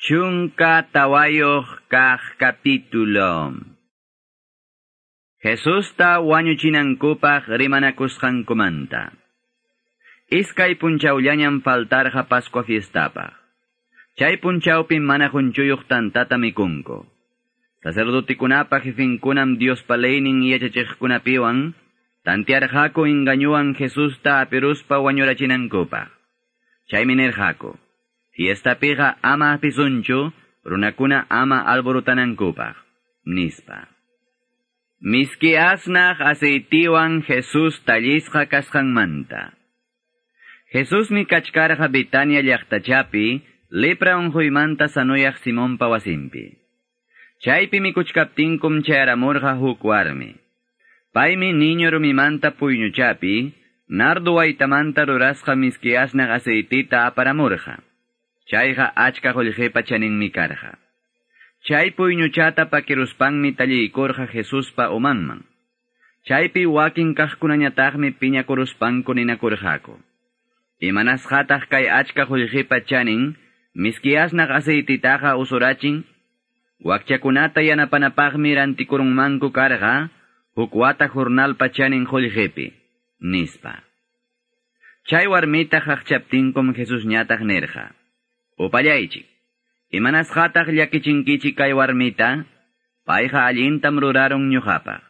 14 kaq capítulo. Jesusta wañuchinankupaq rimanakusqankumanta. Iskay punchawllañam faltarqa Pascua fiestapaq. Chay punchawpim mana qunchuyuq tantata mikunku. Sacerdotikunapa jefinkunam Diospa leynin yachachiqkunapiwan tantearqaku engañuwan Jesusta apiruspa wañurachinankupaq. Chaymi nirqaku: Fiestapiqa ama apisunchu, runakuna ama alborotanankupaq, nispa. Miski asnaq aceitiwan Jesús tallisqa kasqanmanta. Jesusmi kachkarqa Betania llaqtachapi, lepra unquymanta sanuyaq Simonpa wasinpi. Chaypi mikuchkaptinkum chayaramurqa huk warmi. Paymi niño rumimanta puyñuchapi, nardo waytamanta rurasqa miski asnaq aceitita aparamurqa. Chayqa achka qullqipa chaninmi karqa. Chay puyñuchata pakiruspanmi talliykurqa Jesuspa umanman. Chaypi wakin kaqkunañataqmi piñakuruspanku ninakurqaku: Imanasqataq kay achka qullqipa chanin, miski asnaq aceititaqa usurachin? Wakchakunata yanapanapaqmi rantikurunmanku karqa, huk wata jornalpa chanin qullqipi, nispa. Chay warmita qaqchaptinkum Jesusñataq nirqa: Upallaychik, imanasqataq llakichinkichik kay warmita? Payqa allintam rurarun ñuqapaq.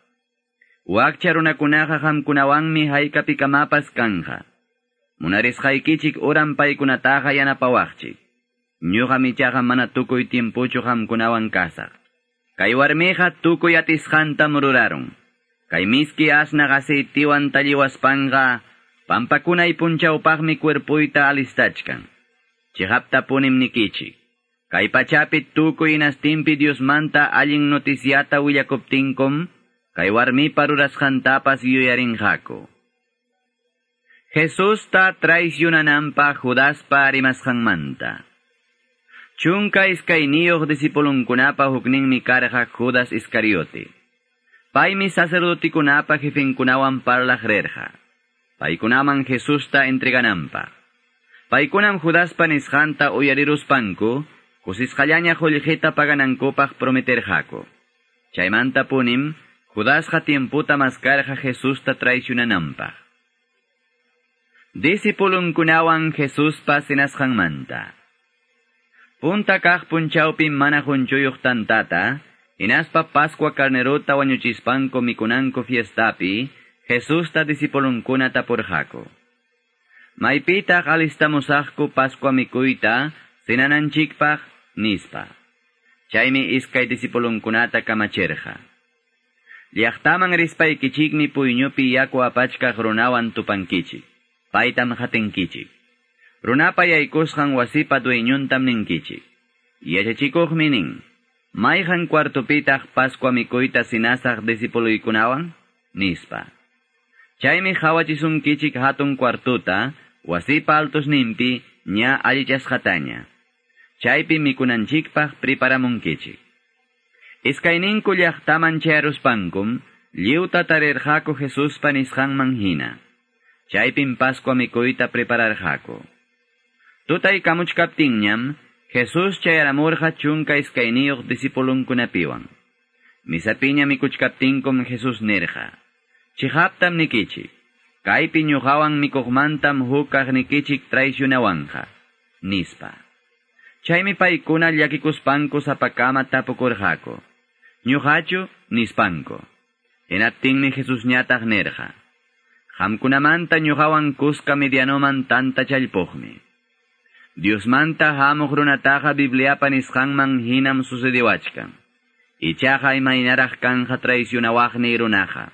Wakcha runakunaqa qamkunawanmi haykapikamapas kanja. Munarisqaykichik uran paykunataqa yanapawaqchik. Ñuqam ichaqa mana tukuy tiempuchu qamkunawan kasaq. Kay warmiqa tukuy atisqantam rurarun. Kay miski asnaq aceitiwan talliwaspanqa pampakunay punchawpaqmi cuerpuyta alistachkan. Chiqaptapunim nikichik: Kay pachapi tukuy hinastinpi Diosmanta allin noticiata willakuptinkum, kay warmipa rurasqantapas yuyarinqaku. Jesusta traicionananpaq Judaspa rimasqanmanta. 12 discipulunkunapa hukninmi karqa Judas Iscariote. Paymi sacerdotikunapa jefinkunawan parlaq rirqa, paykunaman Jesusta entregananpaq. Paykunam Judaspa nisqanta uyariruspanku, kusisqallaña qullqita paganankupaq prometerqaku. Chaymanta punim, Judasqa tiemputa maskarqa Jesusta traicionananpaq. Discipulunkunawan Jesuspa cenasqanmanta. Punta kaq punchawpim mana qunchuyuq tantata, hinaspa Pascua carnerota wañuchispanku mikunanku fiestapi, Jesusta discipulunkuna tapurqaku: Maypitaq alistamusaqku Pascua mikuyta cenananchikpaq, nispa. Chaymi iskay discipulunkunata kamachirqa: Llaqtaman rispaykichikmi puyñupi yaku apachkaq runawan tupankichik. Paytam qatinkichik. Runapa yaykusqan wasipa dueñuntam ninkichik: Yachachikuqmi nin, mayqan cuartupitaq Pascua mikuyta cenasaq discipuluykunawan, nispa. Chaymi qawachisunkichik hatun cuartuta, wasipa altosninpi ña allichasqataña. Chaypi mikunanchikpaq preparamunkichik. Iskayninku llaqtaman chayaruspankum, lliwta tarirqaku Jesuspa nisqanman hina. Chaypim Pascua mikuyta prepararqaku. Tutaykamuchkaptinñam, Jesús chayaramurqa 12 discipulunkunapiwan. Misapiña mikuchkaptinkum Jesús nirqa: Chiqaptam nikichik, kaypi ñuqawan mikuqmantam huk kaqnikichik traicionawanja, nispa. Chaymi paykuna llakikuspanku sapakama tapukurqaku: Ñuqachu, nispanku. Hinaptinmi Jesusñataq nirqa: Qamkunamanta ñuqawan kuska medianoman tanta challpuqmi. Diosmanta hamuq runataqa Bibliapa nisqanman hinam sucediwachkan. Ichaqa imaynaraq kanja traicionawaqni runaqa.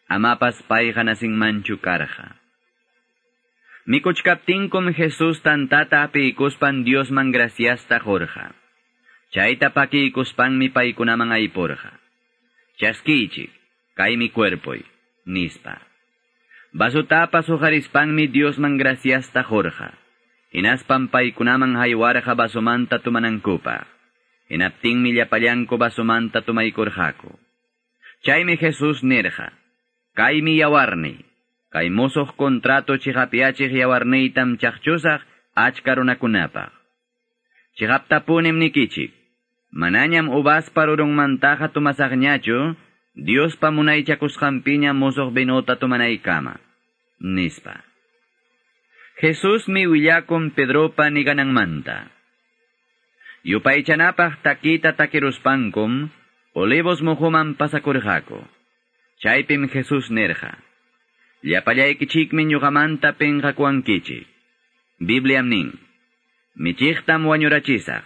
Amapas payqa nasinmanchu karqa. Mikuchkaptinkum Jesús tantata apiykuspan Diosman graciasta qurqa. Chayta pakiykuspanmi paykunaman aypurqa: Chaskiychik, kaymi cuerpoy, nispa. Vasutapas huqarispanmi Diosman graciasta qurqa. Hinaspan paykunaman haywarqa vasomanta tumanankupaq. Hinaptinmi llapallanku vasomanta tumaykurqaku. Chaymi Jesús nirqa: Kaymi yawarniy, kay musuq contrato chiqapyachiq yawarniytam chaqchusaq achka runakunapaq. Chiqaptapunim nikichik, manañam uvaspa rurunmantaqa tomasaqñachu, Diospa munaychakusqanpiña musuq vinota tomanaykama, nispa. Jesusmi willakun Pedropa nigananmanta. Yupaychanapaq takita takiruspankum, Olivos muhuman pasakurqaku. Chaypim Jesús nirqa: Llapallaykichikmi ñuqamanta pinqakuwankichik. Bibliam nin: Michiqtam wañurachisaq,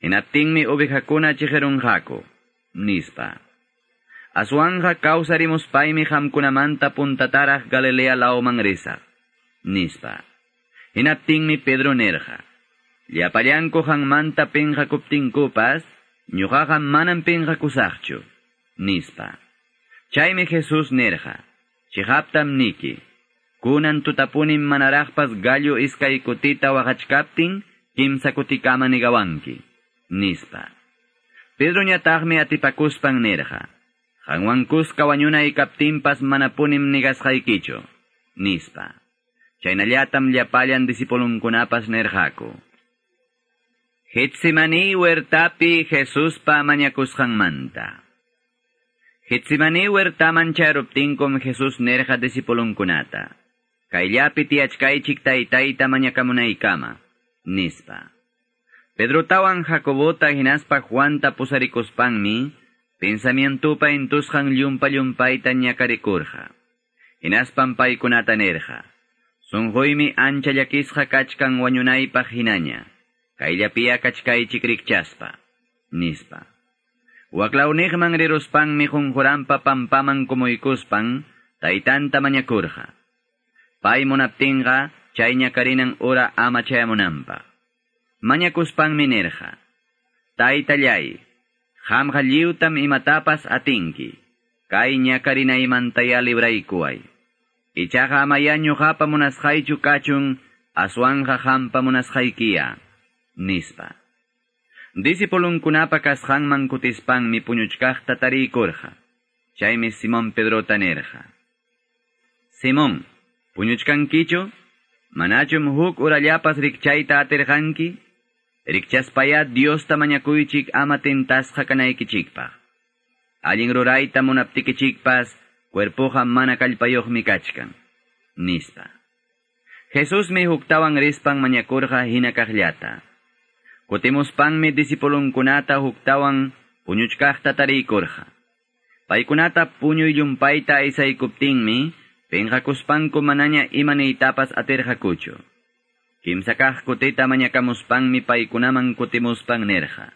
hinaptinmi ovejakuna chiqirunqaku, nispa. Aswanja kawsarimuspaymi qamkunamanta puntataraq Galilea lawman risaq, nispa. Hinaptinmi Pedro nirqa: Llapallanku qanmanta pinqakuptinkupas, ñuqaqa manam pinqakusaqchu, nispa. Chaymi Jesús nirqa: Chiqaptam niki, kunan tutapunim manaraqpas gallo iskay kutita waqachkaptin, kimsa kutikama nigawanki, nispa. Pedroñataqmi atipakuspan nirqa: Qanwan kuska wañunay kaptinpas manapunim nigasqaykichu, nispa. Chaynallatam llapallan discipulunkunapas nirqaku. Getsemani huertapi Jesuspa mañakusqanmanta. Getsemani huertaman charuptinkum Jesús nirqa discipulunkunata: Kayllapi tiyachkaychik taytayta mañakamunaykama, nispa. Pedrotawan Jacobota hinaspa Juanta pusarikuspanmi, pensamientupa intusqan llumpa llumpayta ñakarikurqa. Hinaspan paykunata nirqa: Sunquymi ancha llakisqa kachkan wañunaypaq hinaña. Kayllapiya kachkaychik rikchaspa, nispa. Waklawniqman riruspanmi qunquranpa pampaman kumuykuspan taytanta mañakurqa. Pay munaptinqa chay ñakarinan ura ama chayamunanpaq. Mañakuspanmi nirqa: Taytallay, qamqa lliwtam imatapas atinki, kay ñakarinaymantaya libraykuway. Ichaqa amaya ñuqapa munasqaychu kachun, aswanja qampa munasqaykiya, nispa. Discipulunkunapa kasqanman kutispanmi puñuchkaqta tariykurqa. Chaymi Simón Pedrota nirqa: Simón, puñuchkankichu? Manachum huk urallapas rikchayta atirqanki? Rikchaspaya Diosta mañakuychik ama tentasqa kanaykichikpaq. Allin rurayta munaptikichikpas, cuerpoqa mana kallpayuqmi kachkan, nispa. Jesusmi huktawan rispan mañakurqa hina kaqllata. Kutimuspanmi discipulunkunata huktawan puñuchkaqta tariykurqa. Paykunata puñuy llumpayta aysaykuptinmi, pinqakuspanku manaña imaniytapas atirqakuchu. Kimsa kaq kutita mañakamuspanmi paykunaman kutimuspan nirqa: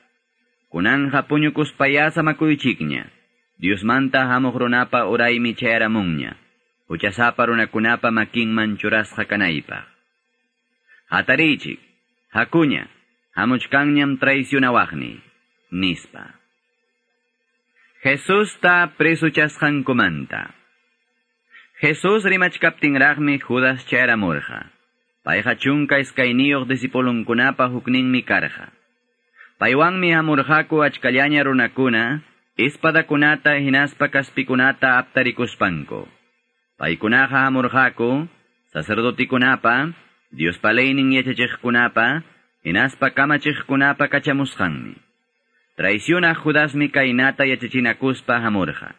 Kunanja puñukuspaya samakuychikña, Diosmanta hamuq runapa uraymi chayaramunña, huchasapa runakunapa makinman churasqa kanaypaq. Hatariychik, hakuña, hamuchkanñam traicionawaqni, nispa. Jesusta presuchasqankumanta. Jesús rimachkaptinraqmi Judas chayaramurqa. Payqa 12 discipulunkunapa hukninmi karqa. Paywanmi hamurqaku achkallaña runakuna, espadakunata hinaspa kaspikunata aptarikuspanku. Paykunaqa hamurqaku sacerdotikunapa, Diospa leynin yachachiqkunapa, hinaspa kamachiqkunapa kachamusqanmi. Traicionaq Judasmi kaynata yachachinakuspa hamurqa: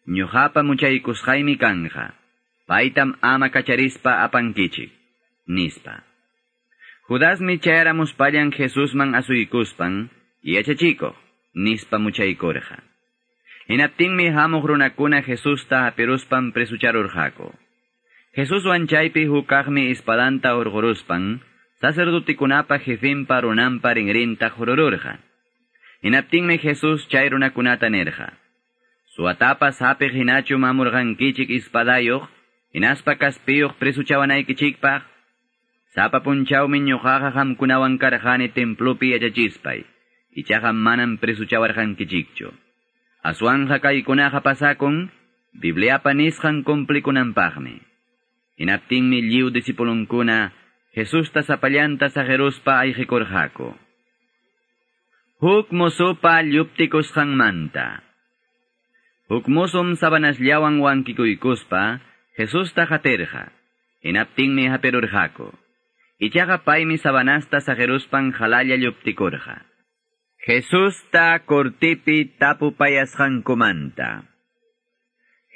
Ñuqapa muchaykusqaymi kanja, paytam ama kacharispa apankichik, nispa. Judasmi chayaramuspallan Jesusman asuykuspan, yachachikuq, nispa muchaykurqa. Hinaptinmi hamuq runakuna Jesusta hapiruspan presucharurqaku. Jesuswan chaypi hukaqmi espadanta hurquruspan, sacerdotikunapa jefinpa runanpa rinrinta hurururqa. Hinaptinmi Jesús chay runakunata nirqa: Suwatapas hapiq hinachum hamurqankichik espadayuq, hinaspa kaspiyuq presuchawanaykichikpaq. Sapa punchawmi ñuqaqa qamkunawan karqani templopi yachachispay, ichaqa manam presuchawarqankichikchu. Aswanja kaykunaqa pasakun, Bibliapa nisqan cumplikunanpaqmi. Hinaptinmi lliw discipulunkuna Jesusta sapallanta saqiruspa ayqikurqaku. Huk musupa lluptikusqanmanta. Huk musum sabanasllawan wankikuykuspa Jesusta qatirqa. Hinaptinmi hapirurqaku. Ichaqa paymi sabanasta saqiruspan qalalla lluptikurqa. Jesusta kortipi tapupayasqankumanta.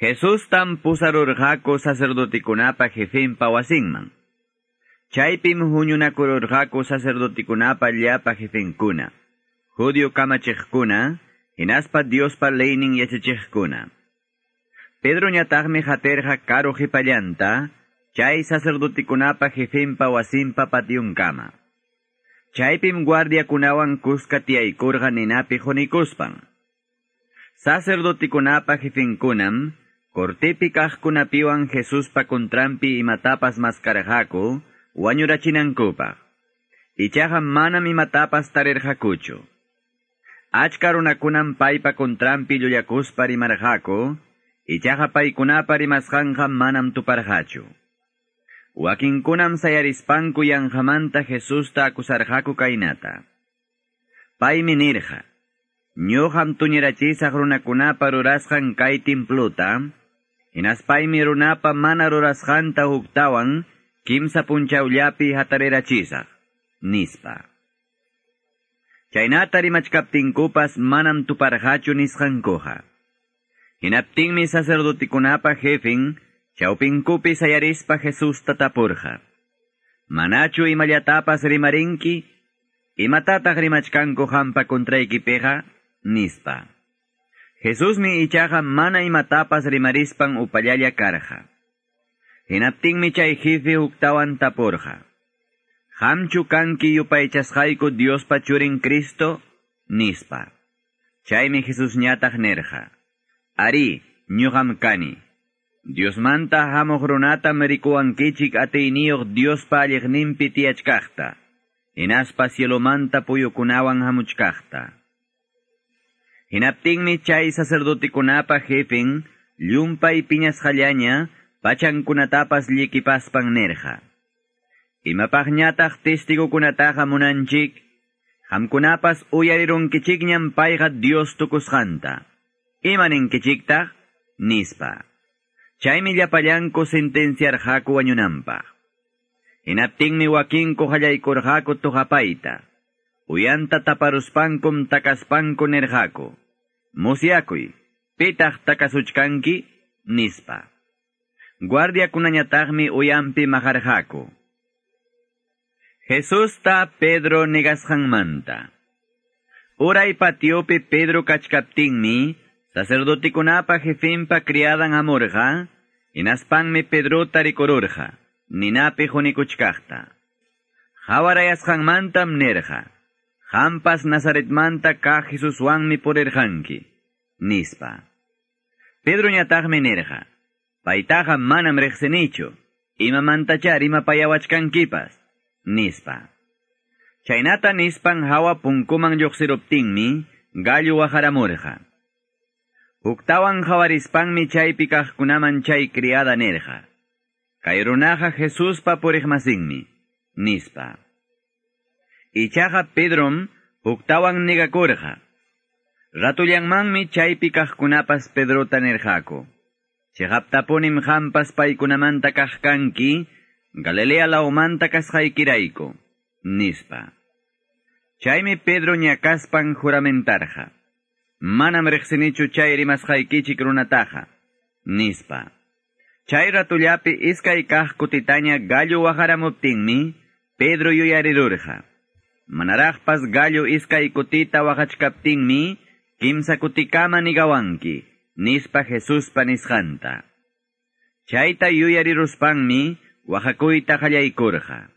Jesustam pusarurqaku sacerdotikunapa jefenpa wasinman. Chaypim huñunakururqaku sacerdotikunapa llapa jefenkuna, judío kamachiqkuna, hinaspa Diospa leynin yachachiqkuna. Pedroñataqmi haterqa karu qhipallanta, chay sacerdotikunapa jefenpa wasinpa patiunkama. Chaypim guardiakunawan kuska tiyaykurqa ninapi qunikuspan. Sacerdotikunapa jefenkunam, cortepi kaqkunapiwan Jesuspa contranpi imatapas maskarqaku, wañurachinankupaq. Ichaqa manam imatapas tarirqakuchu. Achka runakunam paypa contranpi llullakuspa rimarqaku, ichaqa paykunapa rimasqanqa manam tuparqachu. Wakinkunam sayarispanku yanqamanta Jesusta akusarqaku kaynata. Paymi nirqa, ñuqam tuñirachisaq runakunapa rurasqan kay templuta, hinaspaymi runapa mana rurasqanta huktawan kimsa punchawllapi hatarirachisaq, nispa. Chaynata rimachkaptinkupas manam tuparqachu nisqankuqa. Hinaptinmi sacerdotikunapa jefen chawpinkupi sayarispa Jesusta tapurqa. Manachu imallatapas rimarinki? Imatataq rimachkanku hampa contraykipiqa? Nispa. Jesusmi ichaqa mana imatapas rimarispan upallalla karqa. Hinaptinmi chay jefe huktawan tapurqa. Qamchu kanki yupaychasqayku Diospa churin Cristo? Nispa. Chaymi Jesusñataq nirqa. Ari, ñuqam kani. Diosmanta hamuq runatam rikuwankichik atiyniyuq Diospa alliqninpi tiyachkaqta, hinaspa cielomanta puyukunawan hamuchkaqta. Hinaptinmi chay sacerdotikunapa jefen llumpay piñasqallaña pachankunatapas llikipaspan nirqa. Imapaqñataq testigukunataqa munanchik, qamkunapas uyarirunkichikñam payqa Dios tukusqanta. Imaninkichiktaq? Nispa. Chaymi llapallanku sentenciarqaku wañunanpaq. Hinaptinmi wakinku qallaykurqaku tuqapayta. Uyanta taparuspankum takaspanku nirqaku. Musyakuy, pitaq takasuchkanki? Nispa. Guardiakunañataqmi uyampi maqarqaku. Jesusta Pedro negasqanmanta. Uray patiopi Pedro kachkaptinmi, sacerdotikunapa jefenpa criadan hamurqa, hinaspanmi Pedrota rikururqa, ninapi qunikuchkaqta. Hawarayasqanmantam nirqa, qampas Nazaretmanta kaq Jesuswanmi purirqanki, nispa. Pedroñataqmi nirqa, paytaqa manam riqsinichu, imamantachá rimapayawachkankipas, nispa. Chaynata nispan hawa punkuman lluqsiruptinmi, gallo waqaramurqa. Huktawan hawarispanmi chaypi kaqkunaman chay criada nirqa. Kay runaqa Jesuspa puriqmasinmi, nispa. Ichaqa Pedrom huktawan negakurqa. Ratullanmanmi chaypi kaqkunapas Pedrota nirqaku. Chiqaptapunim qampas paykunamanta kaq kanki, Galilea lawmanta kasqaykirayku, nispa. Chaymi Pedro ñakaspan juramentarqa. Manam riqsinichu chay rimasqaykichik runataqa, nispa. Chay ratullapi iskay kaq kutitaña gallo waqaramuptinmi, Pedro yuyarirurqa. Manaraqpas gallo iskay kutita waqachkaptinmi, kimsa kutikama nigawanki, nispa Jesuspa nisqanta. Chayta yuyariruspanmi waqakuyta qallaykurqa.